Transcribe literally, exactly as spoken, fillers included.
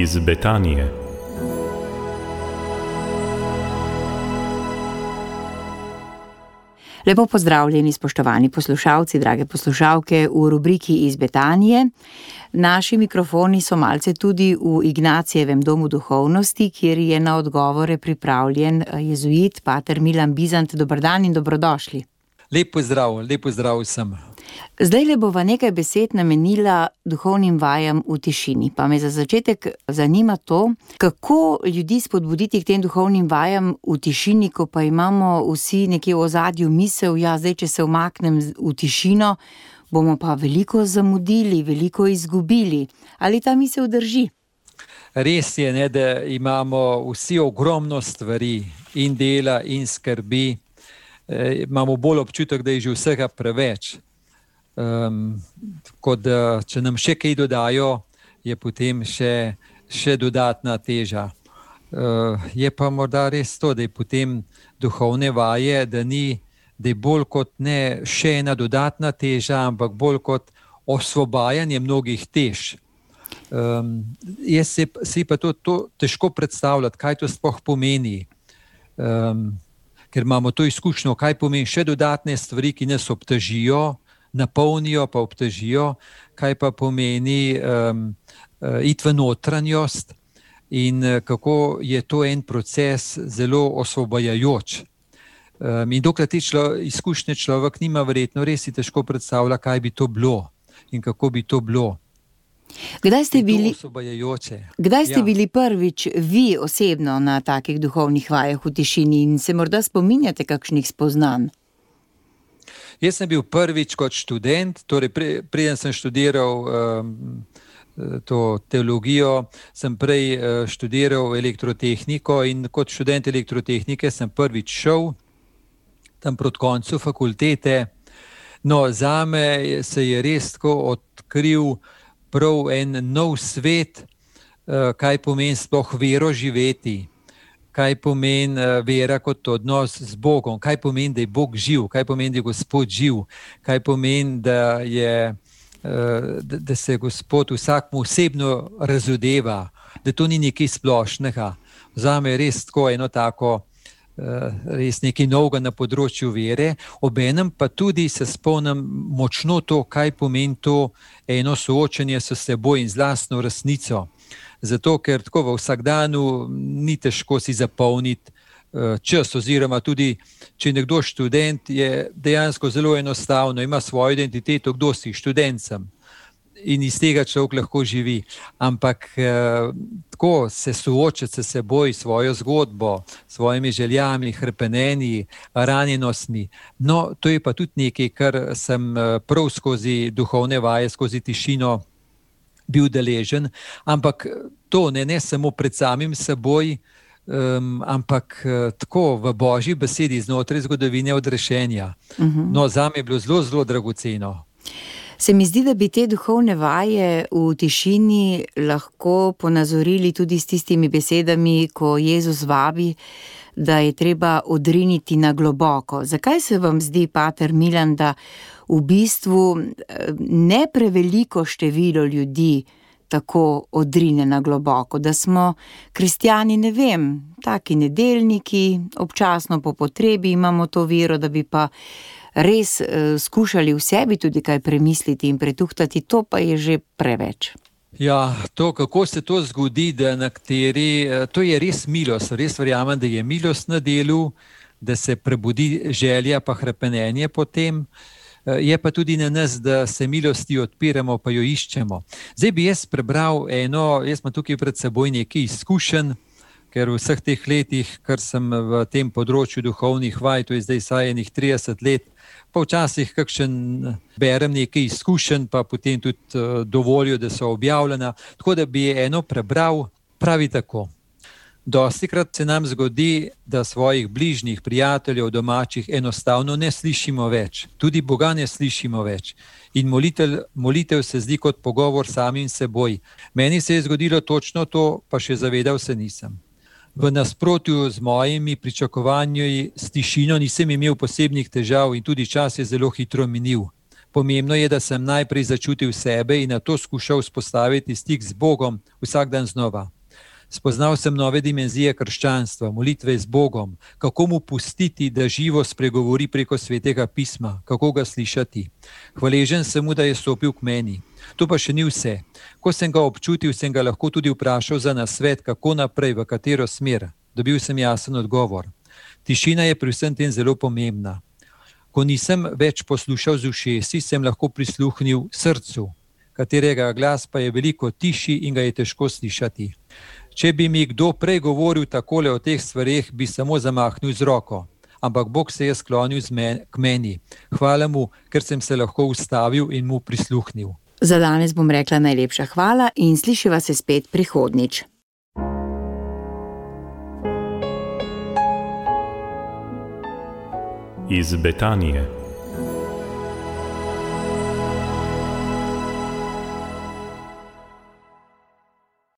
iz Betanije. Lepo pozdravljeni, spoštovani poslušalci, drage poslušalke v rubriki iz Betanije. Naši mikrofoni so malce tudi v Ignacijevem domu duhovnosti, kjer je na odgovore pripravljen jezuit pater Milan Bizant. Dober dan in dobrodošli. Lep pozdrav, lep pozdrav vsem. Zdaj le bova nekaj besed namenila duhovnim vajam v tišini. Pa me za začetek zanima to, kako ljudi spodbuditi k tem duhovnim vajam v tišini, ko pa imamo vsi nekje v ozadju misel, ja, zdaj, če se umaknem v tišino, bomo pa veliko zamudili, veliko izgubili. Ali ta misel drži? Res je, ne, da imamo vsi ogromno stvari in dela in skrbi. E, imamo bolj občutek, da je že vsega preveč. Um, kot da, če nam še kaj dodajo, je potem še, še dodatna teža. Uh, je pa morda res to, da je potem duhovne vaje, da ni, da je bolj kot ne še ena dodatna teža, ampak bolj kot osvobajanje mnogih tež. Um, jaz si, si pa to, to težko predstavljati, kaj to sploh pomeni. Um, ker imamo to izkušnjo, kaj pomeni še dodatne stvari, ki nas obtežijo, napolnijo pa obtežijo, kaj pa pomeni um, uh, iti v notranjost in uh, kako je to en proces zelo osvobajajoč. Um, in dokler te člo, izkušnje človek nima, verjetno res si težko predstavlja, kaj bi to bilo in kako bi to bilo. Kdaj ste bili, kdaj ste ja. bili prvič vi osebno na takih duhovnih vajah v tišini in se morda spominjate kakšnih spoznanj? Jaz sem bil prvič kot študent, torej pre, preden sem študiral um, to teologijo, sem prej uh, študiral elektrotehniko in kot študent elektrotehnike sem prvič šel tam proti koncu fakultete. No, zame se je res tako odkril prav en nov svet, uh, kaj pomeni sploh vero živeti. Kaj pomeni vera kot odnos z Bogom, kaj pomeni, da je Bog živ, kaj pomeni, da je Gospod živ, kaj pomeni, da, je, da, da se Gospod vsakmu osebno razodeva, da to ni nekaj splošnega. Zame je res tako eno tako, res nekaj novega na področju vere, obenem pa tudi se spomnim močno to, kaj pomeni to eno soočenje s seboj in z lastno resnico. Zato, ker tako v vsakdanu ni težko si zapolniti čas, oziroma tudi, če nekdo študent, je dejansko zelo enostavno, ima svojo identiteto, kdo si, študent sem in iz tega človek lahko živi. Ampak tako se soočati s seboj, svojo zgodbo, svojimi željami, hrepenenji, ranjenostmi, no, to je pa tudi nekaj, kar sem prav skozi duhovne vaje, skozi tišino bil deležen, ampak to ne, ne samo pred samim seboj, um, ampak uh, tako v Božji besedi znotraj zgodovine odrešenja. Uh-huh. No, zame je bilo zelo, zelo dragoceno. Se mi zdi, da bi te duhovne vaje v tišini lahko ponazorili tudi s tistimi besedami, ko Jezus vabi, da je treba odriniti na globoko. Zakaj se vam zdi, pater Milan, da v bistvu ne preveliko število ljudi tako odrine na globoko, da smo kristjani, ne vem, taki nedeljniki, občasno po potrebi imamo to vero, da bi pa res uh, skušali v sebi tudi kaj premisliti in pretuhtati, to pa je že preveč. Ja, to, kako se to zgodi, da na kateri, to je res milost, res verjamem, da je milost na delu, da se prebudi želja pa hrepenenje potem. Je pa tudi na nas, da se milosti odpiramo, pa jo iščemo. Zdaj bi jaz prebral eno, jaz imam tukaj pred seboj nekaj izkušenj, ker v vseh teh letih, kar sem v tem področju duhovnih vaj, to je zdaj saj enih trideset let, pa včasih kakšen berem nekaj izkušenj, pa potem tudi dovolijo, da so objavljena. Tako da bi eno prebral, pravi tako. Dostikrat se nam zgodi, da svojih bližnjih, prijateljev, domačih enostavno ne slišimo več. Tudi Boga ne slišimo več. In molitev, molitev se zdi kot pogovor samim seboj. Meni se je zgodilo točno to, pa še zavedal se nisem. V nasprotju z mojimi pričakovanji s tišino nisem imel posebnih težav in tudi čas je zelo hitro minil. Pomembno je, da sem najprej začutil sebe in nato skušal vzpostaviti stik z Bogom vsak dan znova. Spoznal sem nove dimenzije krščanstva, molitve z Bogom, kako mu pustiti, da živo spregovori preko svetega pisma, kako ga slišati. Hvaležen sem mu, da je stopil k meni. To pa še ni vse. Ko sem ga občutil, sem ga lahko tudi vprašal za nasvet, kako naprej, v katero smer. Dobil sem jasen odgovor. Tišina je pri vsem tem zelo pomembna. Ko nisem več poslušal z ušesi, sem lahko prisluhnil srcu, katerega glas pa je veliko tišji in ga je težko slišati. Če bi mi kdo prej govoril takole o teh stvareh, bi samo zamahnil z roko. Ampak Bog se je sklonil k meni. Hvala mu, ker sem se lahko ustavil in mu prisluhnil. Za danes bom rekla najlepša hvala in slišiva se spet prihodnjič. Iz Betanije.